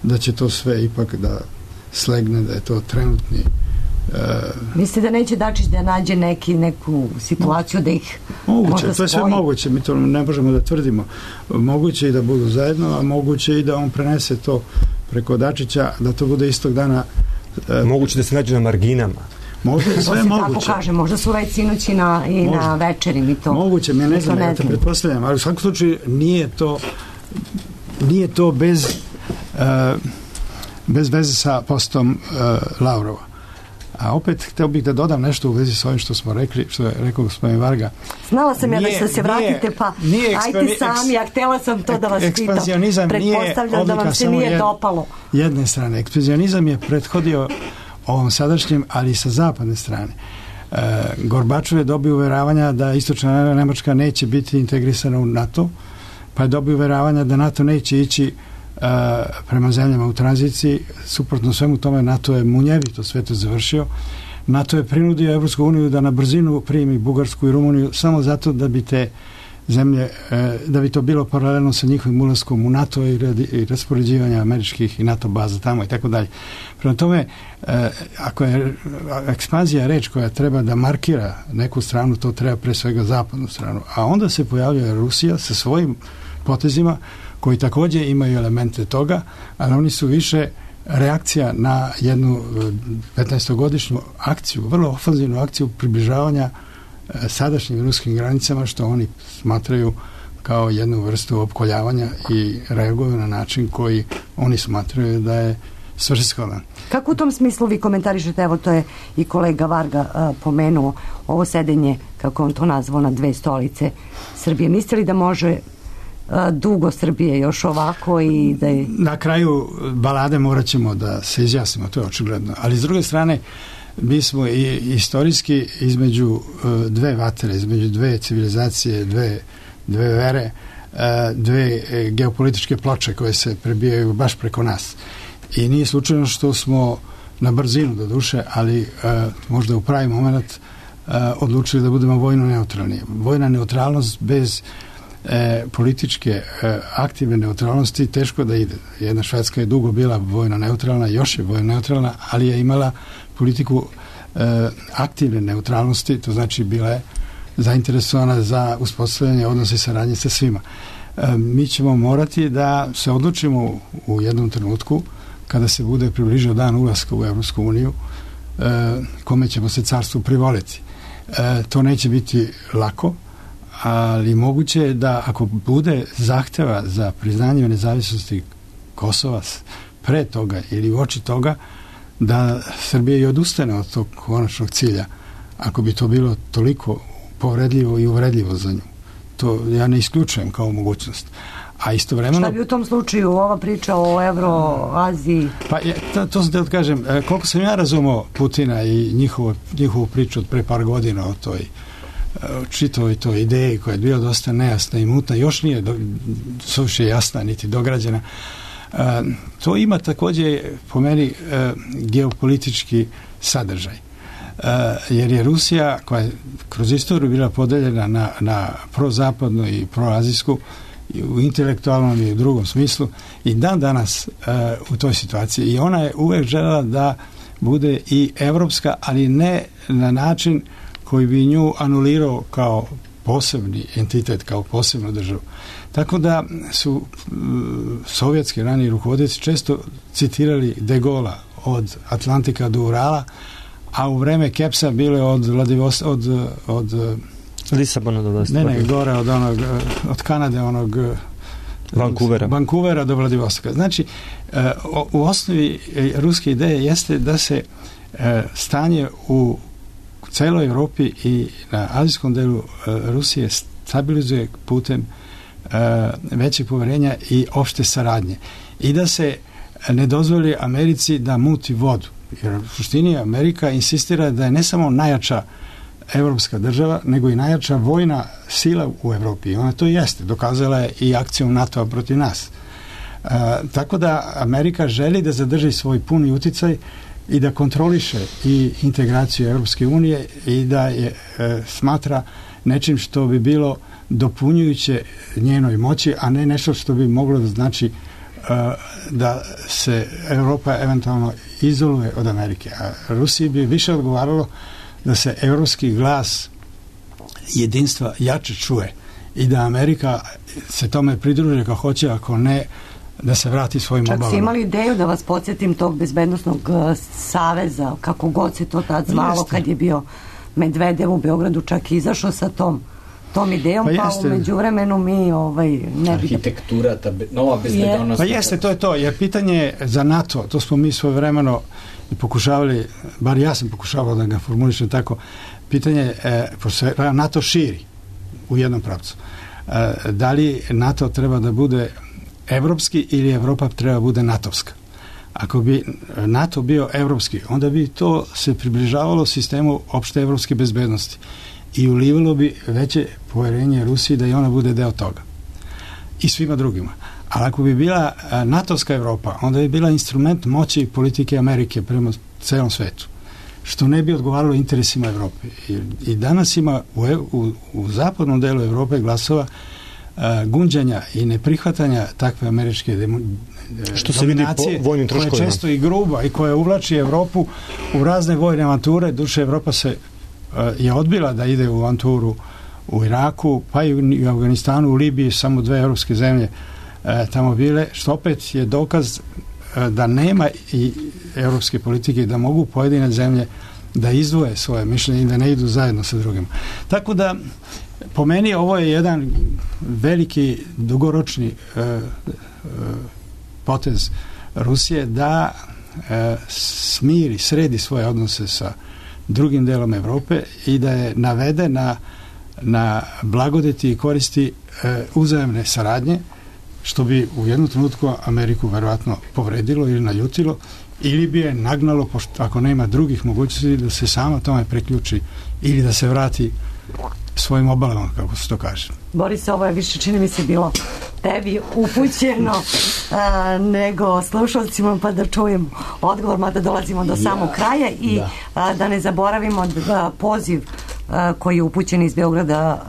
Speaker 7: da će to sve ipak da slegne, da je to trenutni.
Speaker 4: Mislite da neće Dačić da nađe neku situaciju da ih
Speaker 7: moguće,
Speaker 4: možda
Speaker 7: to je sve
Speaker 4: spoji?
Speaker 7: moguće, mi to ne možemo da tvrdimo. Moguće i da budu zajedno, a moguće i da on prenese to preko Dačića, da to bude istog dana.
Speaker 9: Moguće da se nađe na marginama.
Speaker 7: Možda je sve moguće.
Speaker 4: Tako kaže, možda su već sinoć i na večeri mi to.
Speaker 7: Moguće, mi ne znam, ja te pretpostavljam, ali u svakom slučaju nije to bez veze sa postom Lavrova. A opet, hteo bih da dodam nešto u vezi s ovim što smo rekli, što je rekao gospodin Varga.
Speaker 4: Znala sam ja da ćete se vratite, pa ajte sami, a htjela sam to da vas pitam.
Speaker 7: Ekspanzionizam
Speaker 4: pretpostavljam da vam se nije dopalo.
Speaker 7: Jedne strane. Ekspanzionizam je prethodio ovom sadašnjem, ali i sa zapadne strane. Gorbačov je dobio uveravanja da istočna Nemačka neće biti integrisana u NATO, pa je dobio uveravanja da NATO neće ići prema zemljama u tranziciji. Suprotno svemu tome, NATO je munjevito sve to završio. NATO je prinudio Evropsku uniju da na brzinu primi Bugarsku i Rumuniju samo zato da bi te zemlje, da bi to bilo paralelno sa njihovim ulaskom u NATO i raspoređivanja američkih i NATO baza tamo i tako dalje. Prema tome, ako je ekspanzija reč koja treba da markira neku stranu, to treba pre svega zapadnu stranu. A onda se pojavljuje Rusija sa svojim potezima koji također imaju elemente toga, ali oni su više reakcija na jednu 15-godišnju akciju, vrlo ofanzivnu akciju približavanja sadašnjim ruskim granicama, što oni smatraju kao jednu vrstu opkoljavanja i reaguju na način koji oni smatraju da je svrsishodan.
Speaker 4: Kako u tom smislu vi komentarišete, evo to je i kolega Varga pomenuo, ovo sedenje, kako on to nazvao, na dve stolice Srbije. Mislite li da može dugo Srbije još ovako i da je...
Speaker 7: Na kraju balade morat ćemo da se izjasnimo, to je očigledno. Ali s druge strane, mi smo i istorijski između dve vatre, između dve civilizacije, dve vere, dve geopolitičke ploče koje se prebijaju baš preko nas. I nije slučajno što smo na brzinu do duše, ali možda u pravi moment odlučili da budemo vojno neutralni. Vojna neutralnost bez političke aktivne neutralnosti teško da ide. Jedna Švedska je dugo bila vojno neutralna, još je vojno neutralna, ali je imala politiku aktivne neutralnosti, to znači bila je zainteresovana za uspostavljanje odnosa i saradnje sa svima. Mi ćemo morati da se odlučimo u jednom trenutku kada se bude približio dan ulaska u Evropsku uniju, kome ćemo se carstvu privoliti. To neće biti lako, ali moguće je da ako bude zahteva za priznanje nezavisnosti Kosova pre toga ili uoči toga, da Srbija i odustane od tog konačnog cilja, ako bi to bilo toliko povredljivo i uvredljivo za nju. To ja ne isključujem kao mogućnost. A istovremeno...
Speaker 4: Šta bi u tom slučaju ova priča o Euroaziji?
Speaker 7: Pa to sam te odkažem, koliko sam ja razumao Putina i njihovu priču od pre par godina o toj čitavoj toj ideji koja je bila dosta nejasna i mutna, još nije suviše jasna niti dograđena. To ima također po meni geopolitički sadržaj. Jer je Rusija, koja je kroz istoriju bila podeljena na prozapadnu i proazijsku, u intelektualnom i u drugom smislu, i dan danas u toj situaciji. I ona je uvek želela da bude i evropska, ali ne na način koji bi nju anulirao kao posebni entitet, kao posebnu državu. Tako da su sovjetski raniji rukovodioci često citirali De Gaulle'a od Atlantika do Urala, a u vreme Kepsa bile od
Speaker 12: Lisabona do Vladivostoka.
Speaker 7: Ne, gore od Kanade, Vancouvera do Vladivostoka. Znači, u osnovi ruske ideje jeste da se stanje u celoj Evropi i na azijskom delu Rusije stabilizuje putem većeg poverenja i opšte saradnje. I da se ne dozvoli Americi da muti vodu. Jer u suštini Amerika insistira da je ne samo najjača evropska država, nego i najjača vojna sila u Evropi. Ona to jeste. Dokazala je i akcijom NATO-a protiv nas. Tako da Amerika želi da zadrži svoj puni uticaj i da kontroliše i integraciju Evropske unije i da je smatra nečim što bi bilo dopunjujuće njenoj moći, a ne nešto što bi moglo da znači da se Evropa eventualno izoluje od Amerike. A Rusiji bi više odgovaralo da se evropski glas jedinstva jače čuje i da Amerika se tome pridruže kao hoće, ako ne da se vrati svojim obalama.
Speaker 4: Čak si imali ideju, da vas podsjetim, tog bezbednostnog saveza, kako god se to tad zvalo, kad je bio Medvedev u Beogradu, čak izašao sa tom idejom, pa u međuvremenu mi ne bi...
Speaker 8: Arhitektura, ta nova bezbednost.
Speaker 7: Pa jeste, to je to, jer pitanje za NATO, to smo mi svojevremeno pokušavali, bar ja sam pokušavao da ga formulišem tako, pitanje, NATO širi u jednom pravcu. Da li NATO treba da bude evropski ili Evropa treba bude natovska? Ako bi NATO bio evropski, onda bi to se približavalo sistemu opšte evropske bezbednosti i ulivalo bi veće poverenje Rusiji da i ona bude deo toga. I svima drugima. Ali ako bi bila natovska Evropa, onda bi bila instrument moći i politike Amerike prema celom svetu, što ne bi odgovaralo interesima Evrope. I danas ima u zapadnom delu Evrope glasova gunđanja i neprihvatanja takve američke
Speaker 12: što se vidi po vojnim troškovima,
Speaker 7: koja je često i gruba i koja uvlači Evropu u razne vojne avanture. Duše, Evropa je odbila da ide u avanturu u Iraku, pa i u Afganistanu, u Libiji, samo 2 evropske zemlje tamo bile, što opet je dokaz da nema i evropske politike, da mogu pojedine zemlje da izdvoje svoje mišljenje i da ne idu zajedno sa drugima. Tako da, po meni, ovo je jedan veliki, dugoročni potez Rusije da sredi svoje odnose sa drugim delom Evrope i da je navede na blagodeti i koristi uzajamne saradnje, što bi u jednom trenutku Ameriku verovatno povredilo ili naljutilo, ili bi je nagnalo, pošto ako nema drugih mogućnosti, da se sama tome priključi ili da se vrati svojim obalama, kako se to kaže.
Speaker 4: Boris, ovo je više, čini mi se, bilo tebi upućeno nego slušalcima, pa da čujem odgovor, mada dolazimo do samog kraja i da ne zaboravimo poziv koji je upućen iz Beograda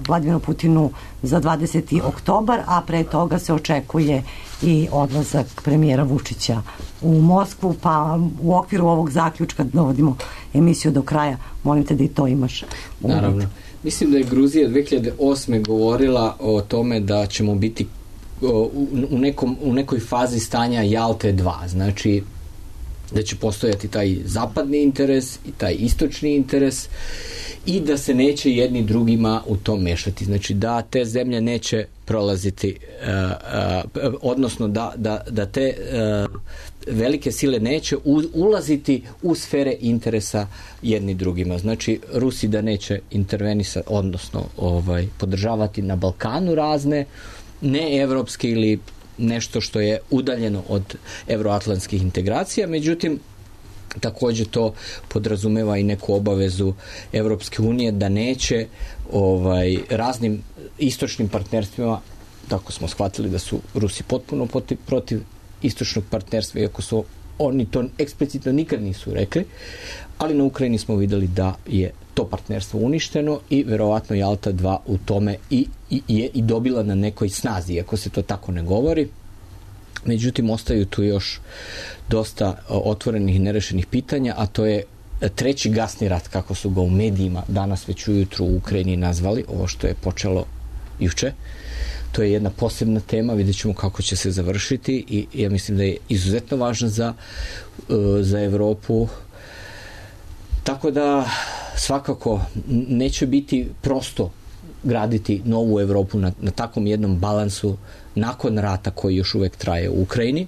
Speaker 4: Vladimiru Putinu za 20. oktobar, a pre toga se očekuje i odlazak premijera Vučića u Moskvu, pa u okviru ovog zaključka dovodimo emisiju do kraja. Molim te da i to imaš.
Speaker 8: Naravno. Mislim da je Gruzija 2008. govorila o tome da ćemo biti u nekoj fazi stanja Jalte 2. Znači, da će postojati taj zapadni interes i taj istočni interes i da se neće jedni drugima u to mešati. Znači, da te zemlje neće prolaziti, odnosno da te velike sile neće ulaziti u sfere interesa jedni drugima. Znači, Rusi da neće intervenisati, odnosno podržavati na Balkanu razne neevropske ili nešto što je udaljeno od evroatlantskih integracija, međutim, također to podrazumeva i neku obavezu Evropske unije da neće raznim istočnim partnerstvima, tako smo shvatili da su Rusi potpuno protiv istočnog partnerstva, iako su oni to eksplicitno nikad nisu rekli, ali na Ukrajini smo videli da je to partnerstvo uništeno i verovatno Jalta 2 u tome je i dobila na nekoj snazi, iako se to tako ne govori. Međutim, ostaju tu još dosta otvorenih i nerešenih pitanja, a to je treći gasni rat, kako su ga u medijima danas već ujutru u Ukrajini nazvali, ovo što je počelo juče. To je jedna posebna tema, vidjet ćemo kako će se završiti i ja mislim da je izuzetno važna za Evropu. Tako da svakako neće biti prosto graditi novu Evropu na takvom jednom balansu nakon rata koji još uvek traje u Ukrajini.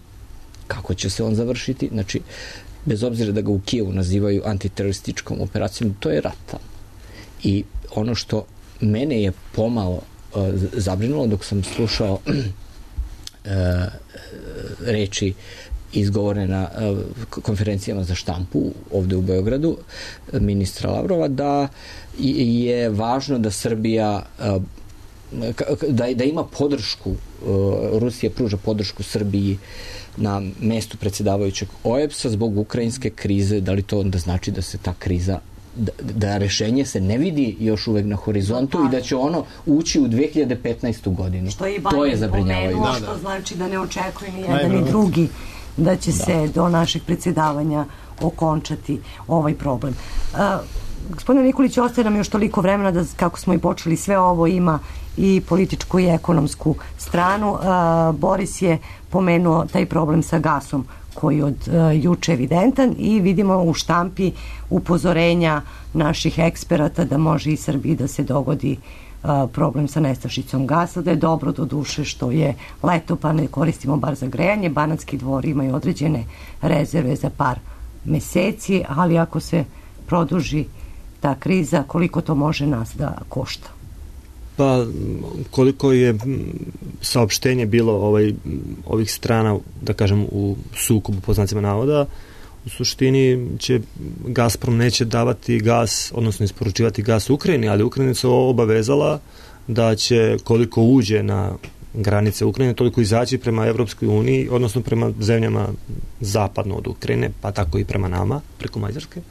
Speaker 8: Kako će se on završiti? Znači, bez obzira da ga u Kijevu nazivaju antiterorističkom operacijom, to je rat. I ono što mene je pomalo zabrinulo dok sam slušao reči izgovorene na konferencijama za štampu ovde u Beogradu ministra Lavrova, da je važno da Srbija da ima podršku, Rusija pruža podršku Srbiji na mestu predsjedavajućeg OEBS-a zbog ukrajinske krize. Da li to onda znači da se ta kriza, da rešenje se ne vidi još uvek na horizontu i da će ono ući u 2015. godinu? To je zabrinjavajuće.
Speaker 4: Što znači da ne očekuje ni jedan ni drugi da će se do našeg predsjedavanja okončati ovaj problem. Gospodine Nikolić, ostaje nam još toliko vremena da, kako smo i počeli, sve ovo ima i političku i ekonomsku stranu. Boris je pomenuo taj problem sa gasom koji je od juče evidentan i vidimo u štampi upozorenja naših eksperata da može i Srbiji da se dogodi problem sa nestašicom gasa, da je dobro do duše što je leto pa ne koristimo bar za grejanje. Banatski Dvor imaju određene rezerve za par meseci, ali ako se produži ta kriza, koliko to može nas da košta?
Speaker 12: Pa koliko je saopštenje bilo ovih strana, da kažem, u sukobu po znacima navoda, u suštini će Gazprom neće davati gas, odnosno isporučivati gas Ukrajini, ali Ukrajina se obavezala da će koliko uđe na granice Ukrajine, toliko izaći prema Evropskoj uniji, odnosno prema zemljama zapadno od Ukrajine, pa tako i prema nama, preko Mađarske.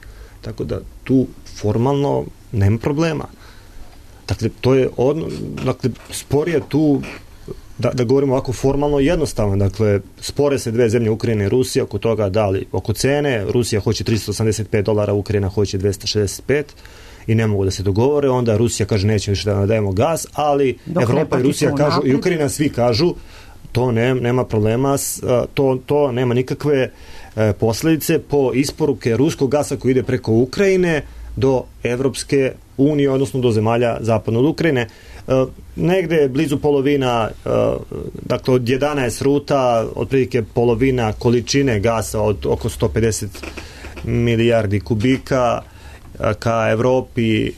Speaker 12: Tako da tu formalno nema problema. Dakle, to je spor je tu, da govorimo ovako formalno, jednostavno. Dakle, spore se dve zemlje, Ukrajina i Rusija, oko toga da li oko cene, Rusija hoće $385, Ukrajina hoće 265 i ne mogu da se dogovore, onda Rusija kaže neće više da nadajemo gas, ali Evropa i Rusija kažu, i Ukrajina svi kažu, to nema problema, to nema nikakve posledice po isporuke ruskog gasa koji ide preko Ukrajine do Evropske unije, odnosno do zemalja zapadno od Ukrajine. Negde blizu polovina, dakle od 11 ruta, otprilike polovina količine gasa od oko 150 milijardi kubika ka Evropi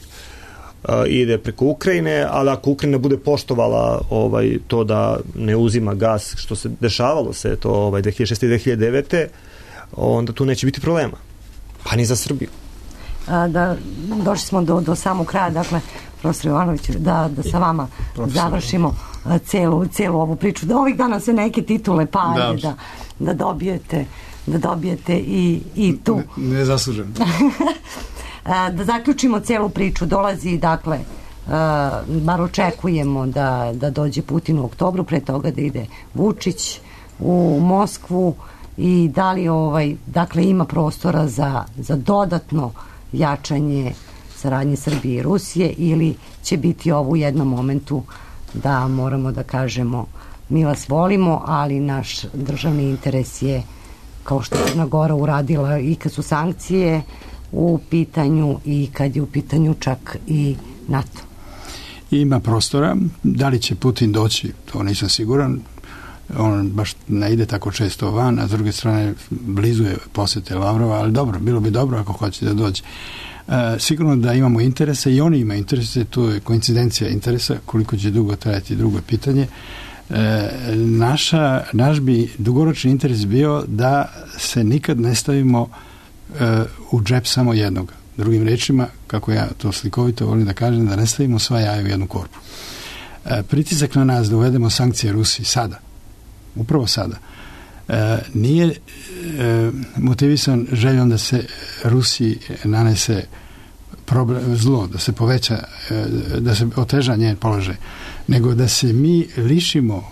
Speaker 12: ide preko Ukrajine, ali ako Ukrajina bude poštovala to da ne uzima gas, što se dešavalo se to 2006. i 2009. onda tu neće biti problema. Pa ni za Srbiju.
Speaker 4: Došli smo do samog kraja, dakle, profesor Jovanović, da sa vama završimo celu ovu priču. Da ovih dana se neke titule palje, da dobijete i tu.
Speaker 7: Ne zaslužem.
Speaker 4: Da zaključimo celu priču. Dolazi, dakle, bar očekujemo da dođe Putin u oktobru, pre toga da ide Vučić u Moskvu, i da li dakle ima prostora za dodatno jačanje saradnje Srbije i Rusije, ili će biti ovo u jednom momentu da moramo da kažemo mi vas volimo, ali naš državni interes je, kao što je Crna Gora uradila i kad su sankcije u pitanju i kad je u pitanju čak i NATO?
Speaker 7: Ima prostora. Da li će Putin doći, to nisam siguran. On baš ne ide tako često van, a s druge strane blizu je posete Lavrova, ali dobro, bilo bi dobro ako hoće da dođe. Sigurno da imamo interese i oni imaju interese, to je koincidencija interesa, koliko će dugo trajati, drugo pitanje. Naš bi dugoročni interes bio da se nikad ne stavimo u džep samo jednog. Drugim rečima, kako ja to slikovito volim da kažem, da ne stavimo sva jaja u jednu korpu. Pritisak na nas da uvedemo sankcije Rusiji sada, upravo sada, nije motivisan željom da se Rusiji nanese zlo, da se poveća, da se oteža njen položaj, nego da se mi lišimo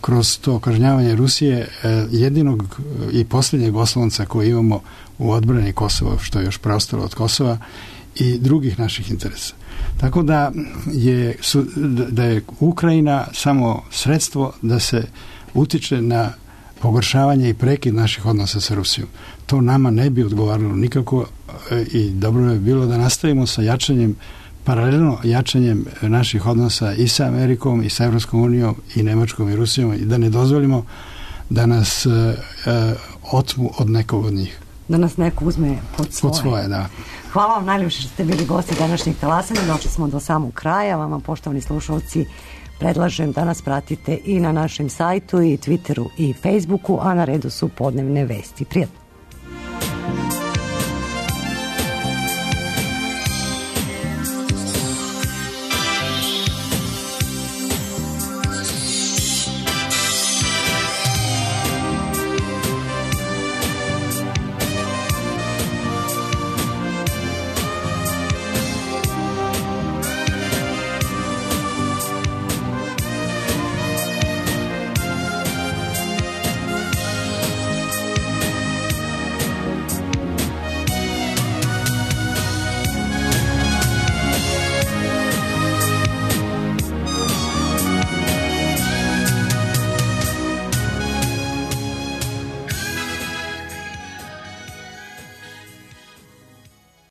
Speaker 7: kroz to kažnjavanje Rusije jedinog i posljednjeg oslonca koji imamo u odbrani Kosova, što je još preostalo od Kosova, i drugih naših interesa. Tako da je Ukrajina samo sredstvo da se utiče na pogoršavanje i prekid naših odnosa sa Rusijom. To nama ne bi odgovaralo nikako i dobro je bilo da nastavimo sa jačanjem, paralelno jačanjem naših odnosa i sa Amerikom i sa Evropskom unijom i Nemačkom i Rusijom i da ne dozvolimo da nas otmu od nekog od njih.
Speaker 4: Da nas neko uzme pod svoje.
Speaker 7: Pod svoje, da.
Speaker 4: Hvala vam najljepše što ste bili gosti današnjeg talasanja. Došli smo do samog kraja. Vama, poštovani slušalci, predlažem da nas pratite i na našem sajtu i Twitteru i Facebooku, a na redu su podnevne vesti. Prijatno.